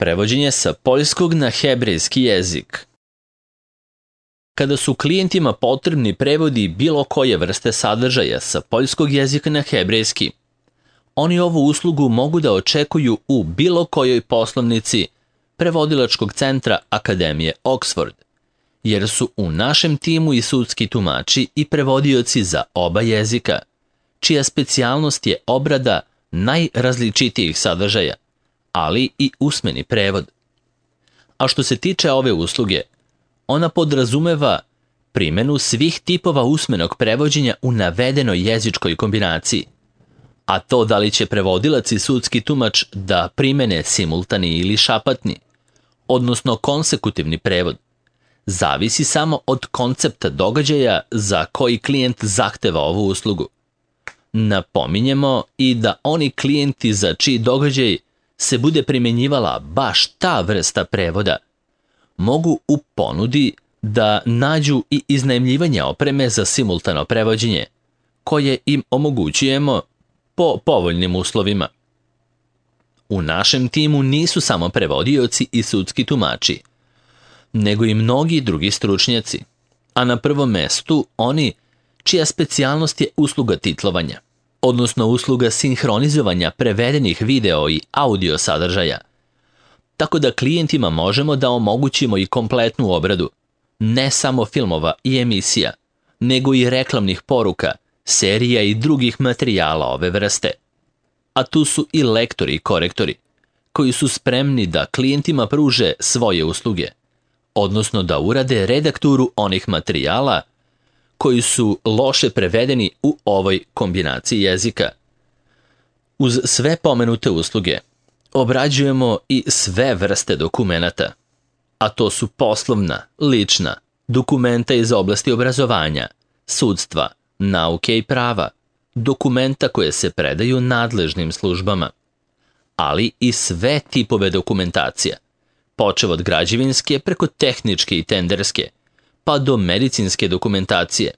Prevođenje sa poljskog na hebrejski jezik. Kada su klijentima potrebni prevodi bilo koje vrste sadržaja sa poljskog jezika na hebrejski, oni ovu uslugu mogu da očekuju u bilo kojoj poslovnici prevodilačkog centra Akademije Oxford, jer su u našem timu i sudski tumači i prevodioci za oba jezika, čija specijalnost je obrada najrazličitijih sadržaja, ali i usmeni prevod. A što se tiče ove usluge, ona podrazumeva primjenu svih tipova usmenog prevođenja u navedenoj jezičkoj kombinaciji, a to da li će prevodilac i sudski tumač da primene simultani ili šapatni, odnosno konsekutivni prevod, zavisi samo od koncepta događaja za koji klijent zahteva ovu uslugu. Napominjemo i da oni klijenti za čiji događaj se bude primjenjivala baš ta vrsta prevoda, mogu u ponudi da nađu i iznajmljivanje opreme za simultano prevođenje, koje im omogućujemo po povoljnim uslovima. U našem timu nisu samo prevodioci i sudski tumači, nego i mnogi drugi stručnjaci, a na prvom mestu oni čija specijalnost je usluga titlovanja, odnosno usluga sinhronizovanja prevedenih video i audio sadržaja, tako da klijentima možemo da omogućimo i kompletnu obradu, ne samo filmova i emisija, nego i reklamnih poruka, serija i drugih materijala ove vrste. A tu su i lektori i korektori, koji su spremni da klijentima pruže svoje usluge, odnosno da urade redakturu onih materijala koji su loše prevedeni u ovoj kombinaciji jezika. Uz sve pomenute usluge obrađujemo i sve vrste dokumenata, a to su poslovna, lična, dokumenta iz oblasti obrazovanja, sudstva, nauke i prava, dokumenta koje se predaju nadležnim službama, ali i sve tipove dokumentacija, počev od građevinske preko tehničke i tenderske, pa do medicinske dokumentacije,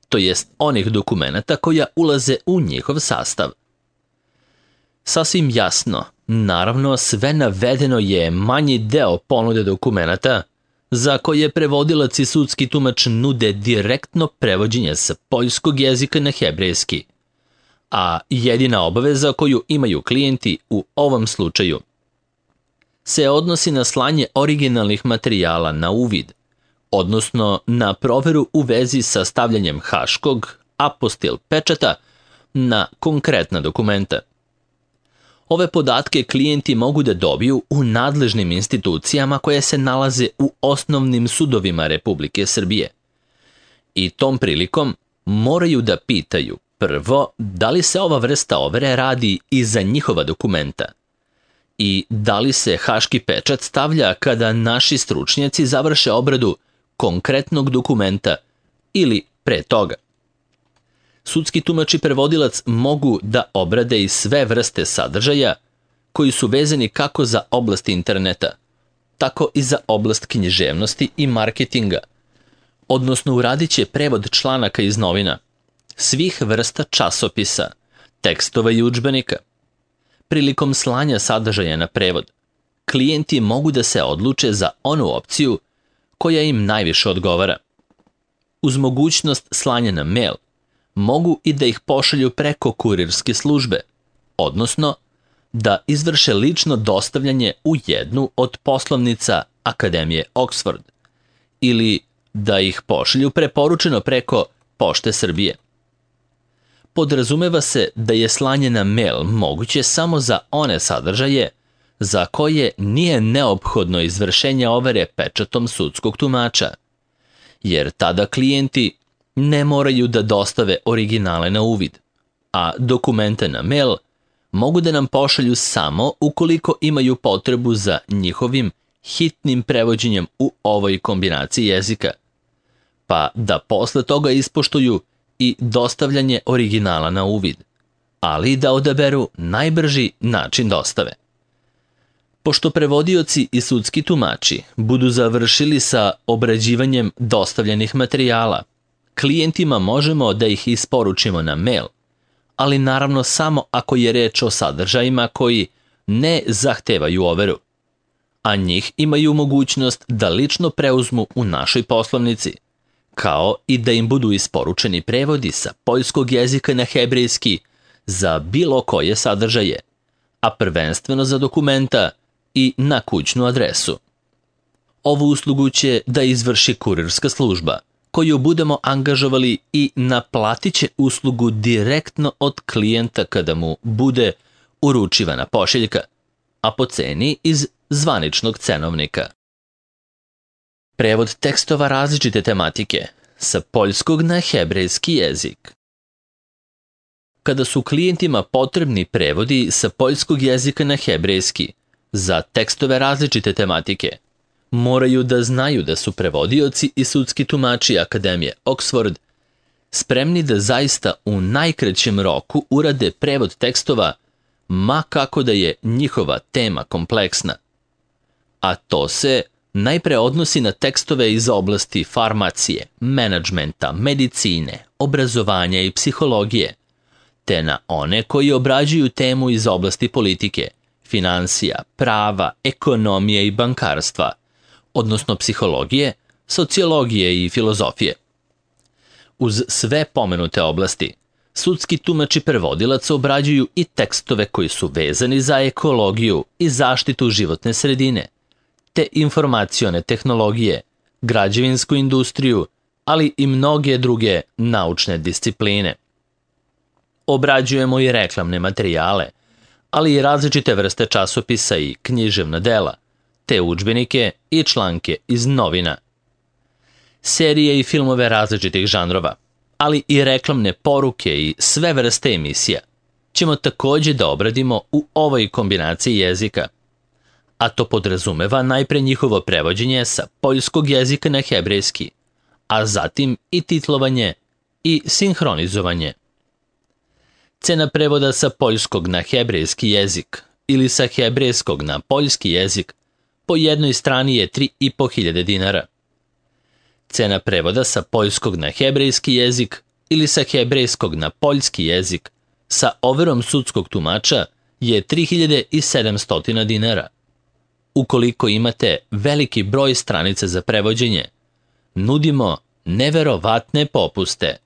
to jest onih dokumenata koja ulaze u njihov sastav. Sasvim jasno, naravno sve navedeno je manji deo ponude dokumenata za koje prevodilac i sudski tumač nude direktno prevođenje sa poljskog jezika na hebrejski, a jedina obaveza koju imaju klijenti u ovom slučaju se odnosi na slanje originalnih materijala na uvid, odnosno na proveru u vezi sa stavljanjem haškog apostil pečata na konkretna dokumenta. Ove podatke klijenti mogu da dobiju u nadležnim institucijama koje se nalaze u osnovnim sudovima Republike Srbije. I tom prilikom moraju da pitaju prvo da li se ova vrsta overe radi i za njihova dokumenta i da li se haški pečat stavlja kada naši stručnjaci završe obradu konkretnog dokumenta ili pre toga. Sudski tumač i prevodilac mogu da obrade i sve vrste sadržaja koji su vezani kako za oblast interneta, tako i za oblast književnosti i marketinga, odnosno uradit će prevod članaka iz novina, svih vrsta časopisa, tekstova i udžbenika. Prilikom slanja sadržaja na prevod, klijenti mogu da se odluče za onu opciju koja im najviše odgovara. Uz mogućnost slanja na mail, mogu i da ih pošalju preko kurirske službe, odnosno da izvrše lično dostavljanje u jednu od poslovnica Akademije Oxford ili da ih pošalju preporučeno preko Pošte Srbije. Podrazumeva se da je slanje na mail moguće samo za one sadržaje za koje nije neophodno izvršenje overe pečatom sudskog tumača, jer tada klijenti ne moraju da dostave originale na uvid, a dokumente na mail mogu da nam pošalju samo ukoliko imaju potrebu za njihovim hitnim prevođenjem u ovoj kombinaciji jezika, pa da posle toga ispoštuju i dostavljanje originala na uvid, ali da odaberu najbrži način dostave. Pošto prevodioci i sudski tumači budu završili sa obrađivanjem dostavljenih materijala, klijentima možemo da ih isporučimo na mail, ali naravno samo ako je reč o sadržajima koji ne zahtevaju overu. a njih imaju mogućnost da lično preuzmu u našoj poslovnici, kao i da im budu isporučeni prevodi sa poljskog jezika na hebrejski za bilo koje sadržaje, a prvenstveno za dokumenta i na kućnu adresu. Ovu uslugu će da izvrši kurirska služba, koju budemo angažovali i naplatit će uslugu direktno od klijenta kada mu bude uručivana pošiljka, a po ceni iz zvaničnog cenovnika. Prevod tekstova različite tematike sa poljskog na hebrejski jezik. Kada su klijentima potrebni prevodi sa poljskog jezika na hebrejski za tekstove različite tematike, moraju da znaju da su prevodioci i sudski tumači Akademije Oxford spremni da zaista u najkraćem roku urade prevod tekstova, ma kako da je njihova tema kompleksna. A to se najpre odnosi na tekstove iz oblasti farmacije, menadžmenta, medicine, obrazovanja i psihologije, te na one koji obrađuju temu iz oblasti politike, finansija, prava, ekonomije i bankarstva, odnosno psihologije, sociologije i filozofije. Uz sve pomenute oblasti, sudski tumač i prevodilac obrađuju i tekstove koji su vezani za ekologiju i zaštitu životne sredine, te informacione tehnologije, građevinsku industriju, ali i mnoge druge naučne discipline. Obrađujemo i reklamne materijale, ali i različite vrste časopisa i književna dela, te udžbenike i članke iz novina. Serije i filmove različitih žanrova, ali i reklamne poruke i sve vrste emisija ćemo takođe da obradimo u ovoj kombinaciji jezika, a to podrazumeva najpre njihovo prevođenje sa poljskog jezika na hebrejski, a zatim i titlovanje i sinhronizovanje. Cena prevoda sa poljskog na hebrejski jezik ili sa hebrejskog na poljski jezik po jednoj strani je 3.500 dinara. Cena prevoda sa poljskog na hebrejski jezik ili sa hebrejskog na poljski jezik sa overom sudskog tumača je 3.700 dinara. Ukoliko imate veliki broj stranica za prevođenje, nudimo neverovatne popuste